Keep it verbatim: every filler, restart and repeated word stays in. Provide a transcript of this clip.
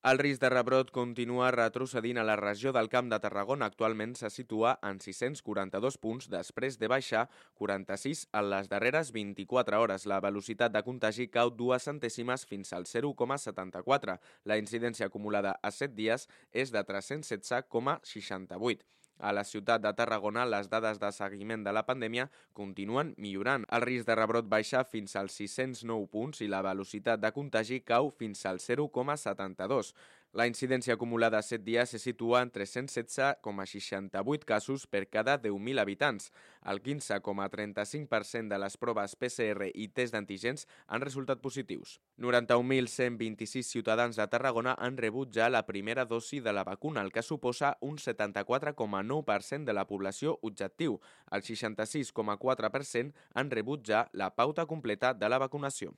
El risc de rebrot continua retrocedint a la regió del Camp de Tarragona. Actualment se situa en sis-cents quaranta-dos punts després de baixar quaranta-sis en les darreres vint-i-quatre hores. La velocitat de contagi cau dues centèsimes fins al zero coma setanta-quatre. La incidència acumulada a set dies és de tres-cents setze coma seixanta-vuit. A la ciutat de Tarragona, les dades de seguiment de la pandèmia continuen millorant. El risc de rebrot baixa fins als sis-cents nou punts i la velocitat de contagi cau fins al zero coma setanta-dos. La incidència acumulada a set dies se situa en tres-cents setze coma seixanta-vuit casos per cada deu mil habitants. El quinze coma trenta-cinc per cent de les proves P C R i test d'antígens han resultat positius. noranta-un mil cent vint-i-sis ciutadans de Tarragona han rebut ja la primera dosi de la vacuna, el que suposa un setanta-quatre coma nou per cent de la població objectiu. El seixanta-sis coma quatre per cent han rebut ja la pauta completa de la vacunació.